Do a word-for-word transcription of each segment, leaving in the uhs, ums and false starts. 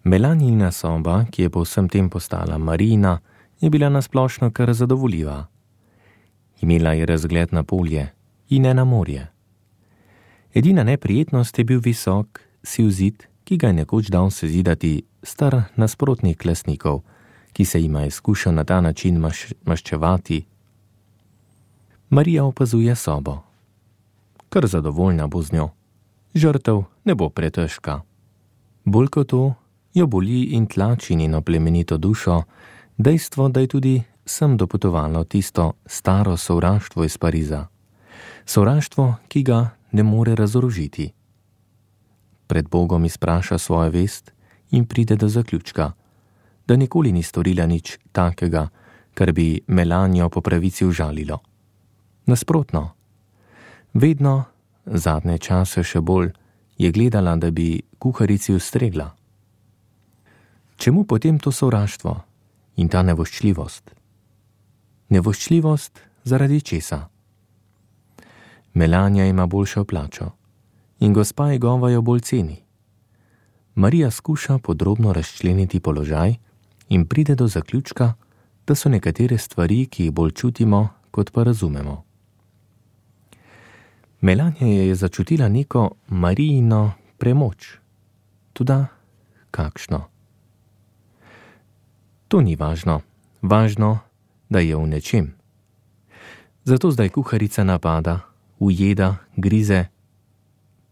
Melanijina soba, ki je po vsem tem postala Marijina, je bila nasplošno kar zadovoljiva. Imela je razgled na polje in ne na morje. Edina neprijetnost je bil visok, siv zid, ki ga je nekoč dal sezidati star nasprotnik lastnikov, ki se jima je skušal na ta način maš, maščevati. Marija opazuje sobo. Kar zadovoljna bo z njo. Žrtev ne bo pretežka. Bolj kot to, jo boli in tlači njeno plemenito dušo dejstvo, da je tudi sem dopotovalo tisto staro sovraštvo iz Pariza. Sovraštvo, ki ga ne more razorožiti. Pred Bogom izpraša svojo vest in pride do zaključka, da nikoli ni storila nič takega, kar bi Melanijo po pravici užalilo. Nasprotno, vedno, zadnje čase še bolj, je gledala, da bi kuharici ustregla. Čemu potem to sovraštvo in ta nevoščljivost? Nevoščljivost zaradi česa? Melanija ima boljšo plačo in gospa njegova jo bolj ceni. Marija skuša podrobno razčleniti položaj in pride do zaključka, da so nekatere stvari, ki jih bolj čutimo, kot pa razumemo. Melanija je začutila neko Marijino premoč. Toda kakšno? To ni važno. Važno, da je v nečem. Zato zdaj kuharica napada, ujeda, grize.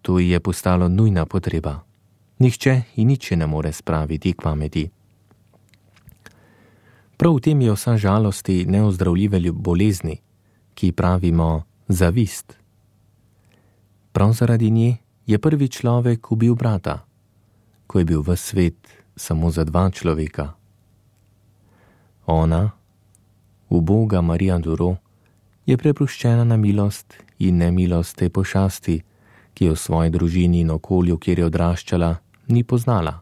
To ji je postalo nujna potreba. Nihče in nič ne more spraviti k pameti. Prav v tem je vsa žalosti neozdravljive bolezni, ki pravimo zavist. Prav zaradi nje je prvi človek ubil brata, ko je bil ves svet samo za dva človeka. Ona, uboga Marija Duro, je prepuščena na milost in nemilost te pošasti, ki je v svoji družini in okolju, kjer je odraščala, ni poznala.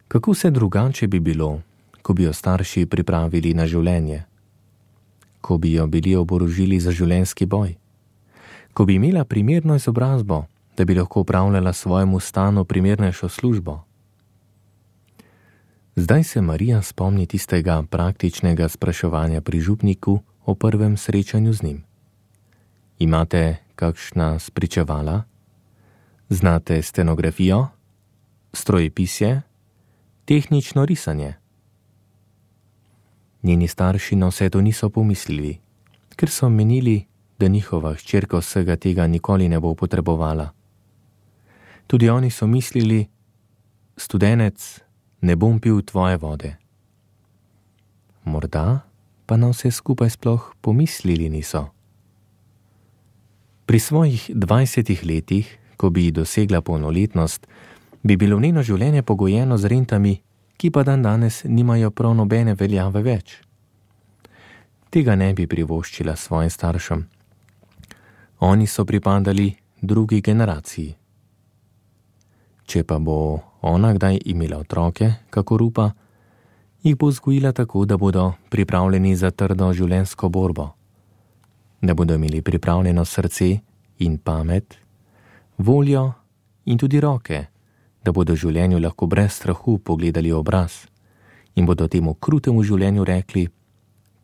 Kako se drugače bi bilo, ko bi jo starši pripravili na življenje? Ko bi jo bili oborožili za življenjski boj? Ko bi imela primerno izobrazbo, da bi lahko upravljala svojemu stanu primernejšo službo? Zdaj se Marija spomni tistega praktičnega spraševanja pri župniku o prvem srečanju z njim. Imate kakšna spričevala? Znate stenografijo? Strojepisje? Tehnično risanje? Njeni starši na vse to niso pomislili, ker so menili, da njihova hčerka vsega tega nikoli ne bo potrebovala. Tudi oni so mislili, studenec, ne bom pil tvoje vode. Morda pa na vse skupaj sploh pomislili niso. Pri svojih dvajsetih letih, ko bi dosegla polnoletnost, bi bilo njeno življenje pogojeno z rentami, ki pa dan danes nimajo prav nobene veljave več. Tega ne bi privoščila svojim staršem. Oni so pripadali drugi generaciji. Če pa bo ona kdaj imela otroke, kakor upa, jih bo vzgojila tako, da bodo pripravljeni za trdo življenjsko borbo, da bodo imeli pripravljeno srce in pamet, voljo in tudi roke, da bodo življenju lahko brez strahu pogledali obraz in bodo temu krutemu življenju rekli: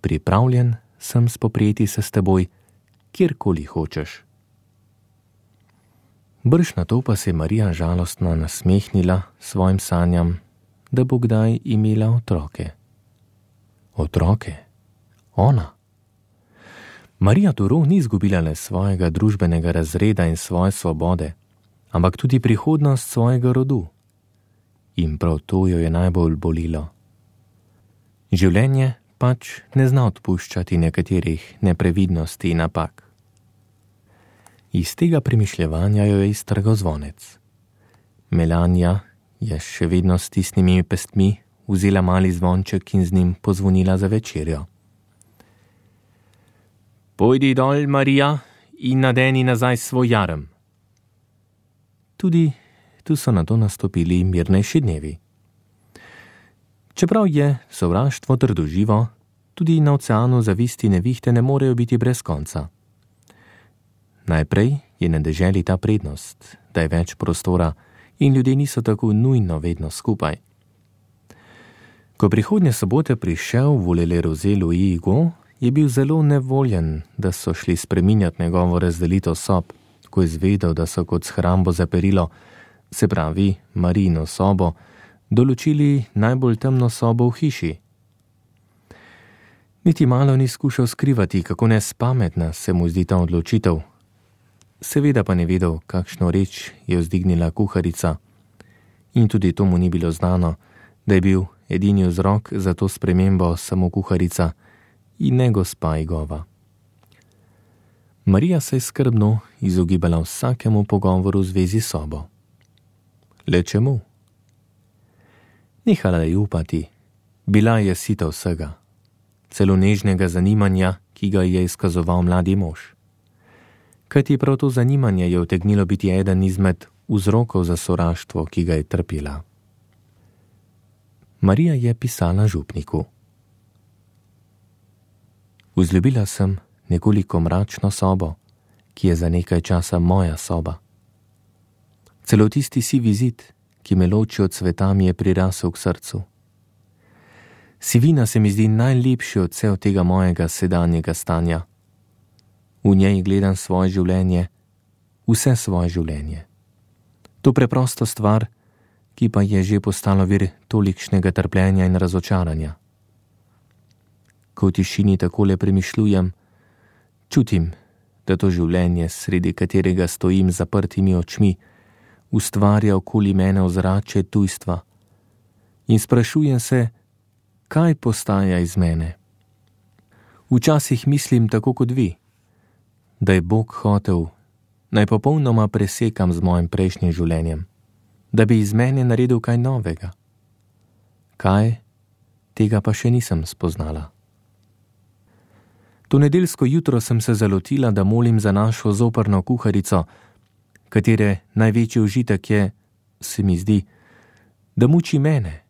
pripravljen sem spoprijeti se s teboj, kjerkoli hočeš. Brž na to pa se je Marija žalostno nasmehnila svojim sanjam, da bo kdaj imela otroke. Otroke? Ona? Marija Duro ni izgubila le svojega družbenega razreda in svoje svobode, ampak tudi prihodnost svojega rodu. In prav to jo je najbolj bolilo. Življenje pač ne zna odpuščati nekaterih neprevidnosti in napak. Iz tega premišljevanja jo je iztrgal zvonec. Melanija je še vedno s stisnjenimi pestmi vzela mali zvonček in z njim pozvonila za večerjo. Pojdi dol, Marija, in nadeni nazaj svoj jarem. Tudi tu so nato nastopili mirnejši dnevi. Čeprav je sovraštvo trdoživo, tudi na oceanu zavisti nevihte ne morejo biti brez konca. Najprej je na deželi ta prednost, da je več prostora in ljudje niso tako nujno vedno skupaj. Ko prihodnje sobote prišel v Le Rosé Louis Hugo, je bil zelo nevoljen, da so šli spreminjati njegovo razdelitev sob, ko je izvedel, da so kot shrambo za perilo, se pravi Marijino sobo, določili najbolj temno sobo v hiši. Niti malo ni skušal skrivati, kako nespametna se mu zdi ta odločitev. Seveda pa ne vedel, kakšno reč je vzdignila kuharica. In tudi to mu ni bilo znano, da je bil edini vzrok za to spremembo samo kuharica in ne gospa Igova. Marija se je skrbno izogibala vsakemu pogovoru v zvezi s sobo. Le čemu? Nehala je upati, bila je sita vsega, celo nežnega zanimanja, ki ga je izkazoval mladi mož. Kajti prav to zanimanje je utegnilo biti eden izmed vzrokov za sovraštvo, ki ga je trpela. Marija je pisala župniku. Vzljubila sem nekoliko mračno sobo, ki je za nekaj časa moja soba. Celo tisti sivi zid, ki me loči od sveta, mi je prirasel k srcu. Sivina se mi zdi najlepši odsev tega mojega sedanjega stanja. V njej gledam svoje življenje, vse svoje življenje. To preprosto stvar, ki pa je že postalo vir tolikšnega trpljenja in razočaranja. Ko v tišini takole premišljujem, čutim, da to življenje, sredi katerega stojim z zaprtimi očmi, ustvarja okoli mene ozračje tujstva in sprašujem se, kaj postaja iz mene. Včasih mislim tako kot vi, da je Bog hotel, naj popolnoma presekam z mojim prejšnjim življenjem, da bi iz mene naredil kaj novega. Kaj? Tega pa še nisem spoznala. To nedeljsko jutro sem se zalotila, da molim za našo zoprno kuharico, katere največji užitek je, se mi zdi, da muči mene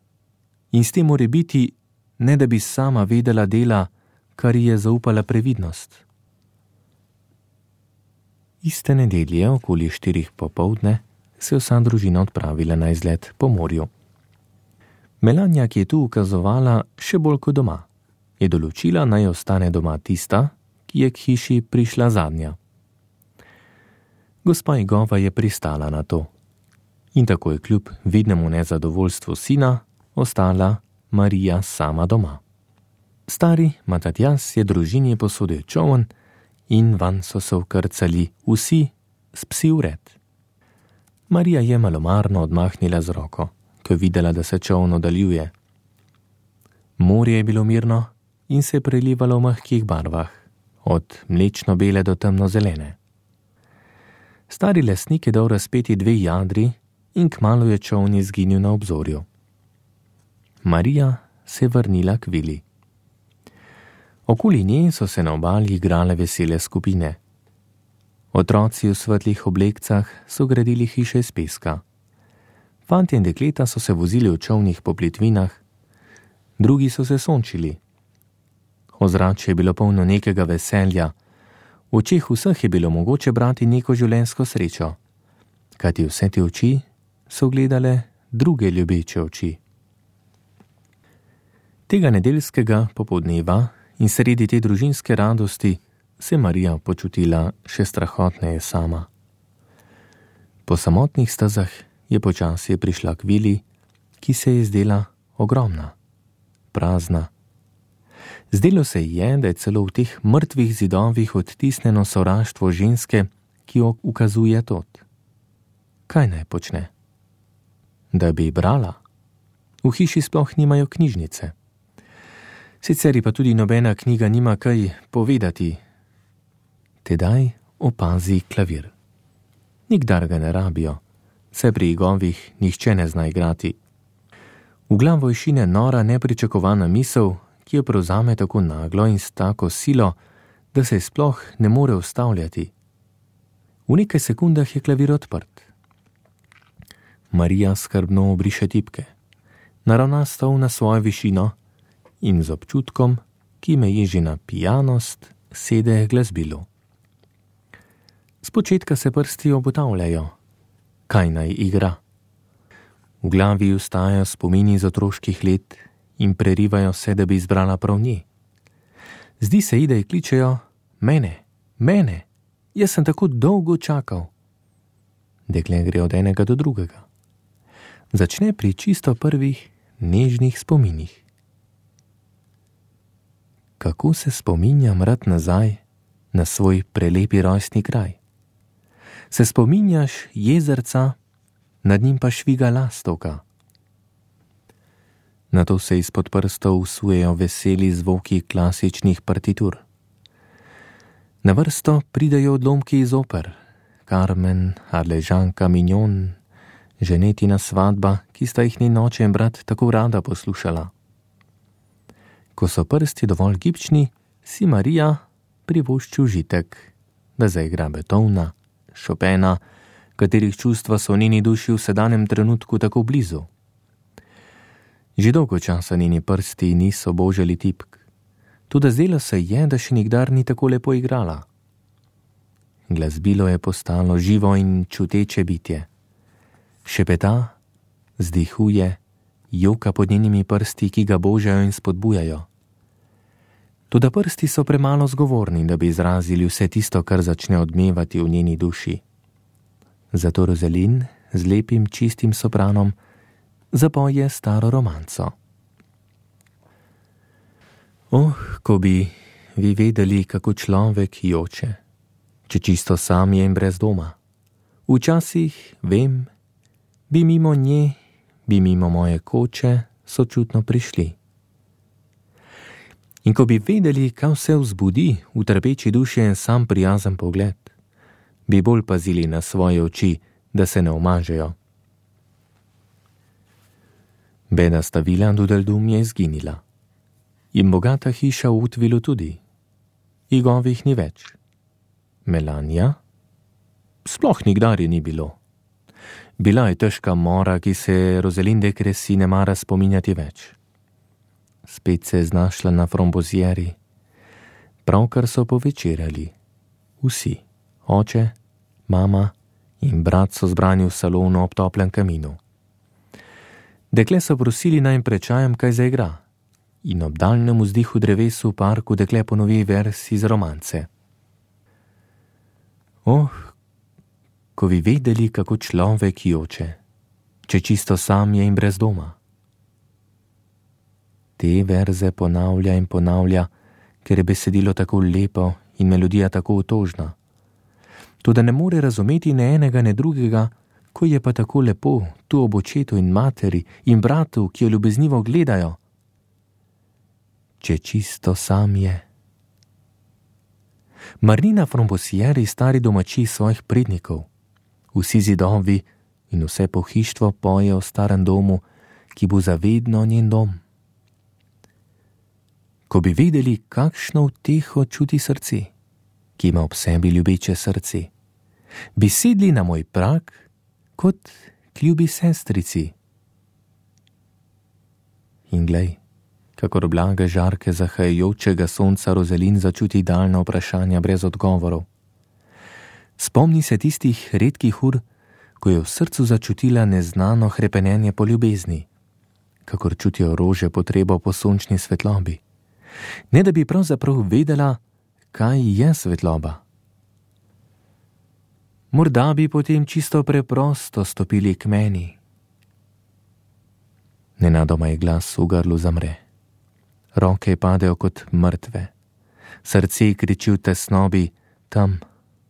in s tem more biti, ne da bi sama vedela dela, kar ji je zaupala previdnost. Iste nedelje, okoli štirih popoldne, se je vsa družina odpravila na izlet po morju. Melania, ki je tu ukazovala še bolj kot doma, je določila, naj ostane doma tista, ki je k hiši prišla zadnja. Gospa Igova je pristala na to in tako je kljub vidnemu nezadovoljstvu sina ostala Marija sama doma. Stari Matatjas je družini posodil čoln in vanj so se vkrcali vsi s psi vred. Marija je malomarno odmahnila z roko, ko je videla, da se čoln oddaljuje. Morje je bilo mirno in se je prelivalo v mehkih barvah, od mlečno-bele do temno-zelene. Stari lesnik je dal razpeti dve jadri in kmalu je čoln izginil na obzorju. Marija se je vrnila k vili. Okoli nje so se na obali igrale vesele skupine. Otroci v svetlih oblekcah so gradili hiše iz peska. Fantje in dekleta so se vozili v čolnih po plitvinah, drugi so se sončili. Ozračje je bilo polno nekega veselja, v očeh vseh je bilo mogoče brati neko življenjsko srečo, kajti vse te oči so gledale druge ljubeče oči. Tega nedeljskega popoldneva in sredi te družinske radosti se Marija počutila še strahotneje sama. Po samotnih stezah je počasi prišla k vili, ki se je zdela ogromna, prazna. Zdelo se ji je, da je celo v teh mrtvih zidovih odtisnjeno sovraštvo ženske, ki jo ukazuje tot. Kaj naj počne? Da bi brala? V hiši sploh nimajo knjižnice. Sicer pa tudi nobena knjiga nima kaj povedati. Tedaj opazi klavir. Nikdar ga ne rabijo, saj pri Igovih nihče ne zna igrati. V glavo ji šine nora nepričakovana misel, ki jo prevzame tako naglo in s tako silo, da se sploh ne more ustavljati. V nekaj sekundah je klavir odprt. Marija skrbno obriše tipke, naravna stol na svojo višino in z občutkom, ki meji že na pijanost, sede k glasbilu. Spočetka se prsti obotavljajo. Kaj naj igra? V glavi ustajajo spomini iz otroških let in prerivajo se, da bi izbrala prav nje. Zdi se ji, da ji kličejo: mene, mene, jaz sem tako dolgo čakal. Dekle gre od enega do drugega. Začne pri čisto prvih nežnih spominih. Kako se spominjam rad nazaj na svoj prelepi rojstni kraj. Se spominjaš jezerca, nad njim pa šviga lastovka. Nato se izpod prstov usujejo veseli zvoki klasičnih partitur. Na vrsto pridejo odlomki iz oper, Carmen, Arležanka, Mignon, Ženetina svadba, ki sta jih njen oče in brat tako rada poslušala. Ko so prsti dovolj gibčni, si Marija privošči užitek, da zaigra Beethovna, Chopina, katerih čustva so v njeni duši v sedanjem trenutku tako blizu. Že dolgo časa njeni prsti niso božali tipk, tudi zdelo se je, da še nikdar ni tako lepo igrala. Glasbilo je postalo živo in čuteče bitje. Šepeta, zdihuje, joka pod njenimi prsti, ki ga božajo in spodbujajo. Toda prsti so premalo zgovorni, da bi izrazili vse tisto, kar začne odmevati v njeni duši. Zato Rozelin z lepim, čistim sopranom zapoje staro romanco. Oh, ko bi vi vedeli, kako človek joče, če čisto sam je in brez doma. Včasih, vem, bi mimo nje, bi mimo moje koče sočutno prišli. In ko bi vedeli, kaj vse vzbudi v trpeči duši en sam prijazen pogled, bi bolj pazili na svoje oči, da se ne omažejo. Bedasta vila Dudeldum je izginila. In bogata hiša v Utvilu tudi. Igovih ni več. Melania? Sploh nikdar je ni bilo. Bila je težka mora, ki se Rozelinde Kresi ne mara spominjati več. Spet se je znašla na frombozieri. Pravkar so povečerjali. Vsi, oče, mama in brat so zbrani v salonu ob toplem kaminu. Dekle so prosili naj jim pred čajem kaj zaigra in ob daljnem vzdihu drevesu v parku dekle ponovi vers iz romance. Oh, ko bi vedeli, kako človek joče, če čisto sam je in brez doma. Te verze ponavlja in ponavlja, ker je besedilo tako lepo in melodija tako otožna. Toda ne more razumeti ne enega, ne drugega, ko je pa tako lepo tu ob očetu in materi in bratu, ki jo ljubeznivo gledajo. Če čisto sam je. Marnina Frombosieri stari domači svojih prednikov. Vsi zidovi in vse pohištvo poje o starem domu, ki bo zavedno njen dom. Ko bi vedeli, kakšno uteho čuti srce, ki ima ob sebi ljubeče srce, bi sedli na moj prag kot k ljubi sestrici. In glej, kakor blage žarke zahajajočega sonca Rozelin začuti daljna vprašanja brez odgovorov. Spomni se tistih redkih ur, ko je v srcu začutila neznano hrepenenje po ljubezni, kakor čutijo rože potrebo po sončni svetlobi. Ne da bi pravzaprav vedela, kaj je svetloba. Morda bi potem čisto preprosto stopili k meni. Nenadoma je glas v grlu zamre. Roke padejo kot mrtve. Srce kriči v tesnobi, tam,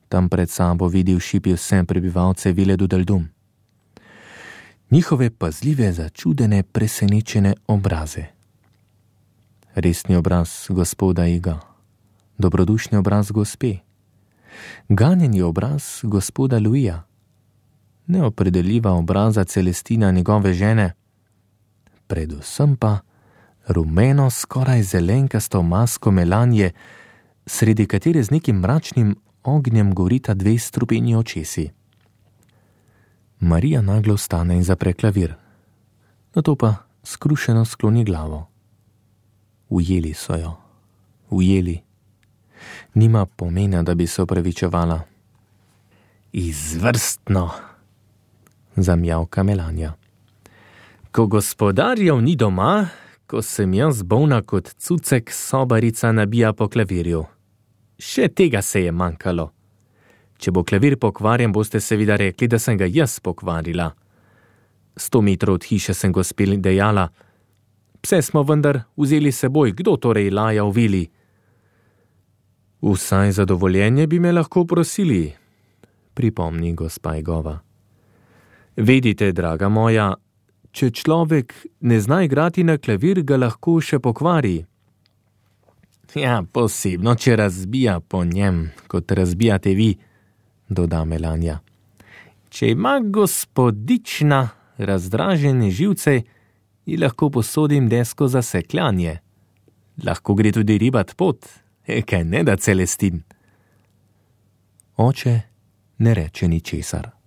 tam pred sabo vidi v šipi vse prebivalce vile Dudeldum. Njihove pazljive, začudene, presenečene obraze. Resni obraz gospoda Iga, dobrodušni obraz gospe, ganjeni obraz gospoda Luija, neopredeljiva obraza Celestina njegove žene, predvsem pa rumeno, skoraj zelenkasto masko Melanje, sredi katere z nekim mračnim ognjem gorita dve strupeni očesi. Marija naglo vstane in zapre klavir, nato pa skrušeno skloni glavo. Ujeli so jo, ujeli. Nima pomena, da bi se opravičevala. Izvrstno, zamjavka Melanja. Ko gospodarjev ni doma, ko sem jaz bolna kot cucek, sobarica nabija po klavirju. Še tega se je manjkalo. Če bo klavir pokvarjen, boste seveda rekli, da sem ga jaz pokvarila. Sto metrov od hiše sem gospel dejala: pse smo vendar vzeli seboj, kdo torej laja v vili? Vsaj za dovoljenje bi me lahko prosili, pripomni gospa Egova. Vedite, draga moja, če človek ne zna igrati na klavir, ga lahko še pokvari. Ja, posebno, če razbija po njem, kot razbijate vi, doda Melania. Če ima gospodična razdražene živce, ji lahko posodim desko za sekljanje. Lahko gre tudi ribat pot, e, kaj ne da Celestin. Oče ne reče ničesar.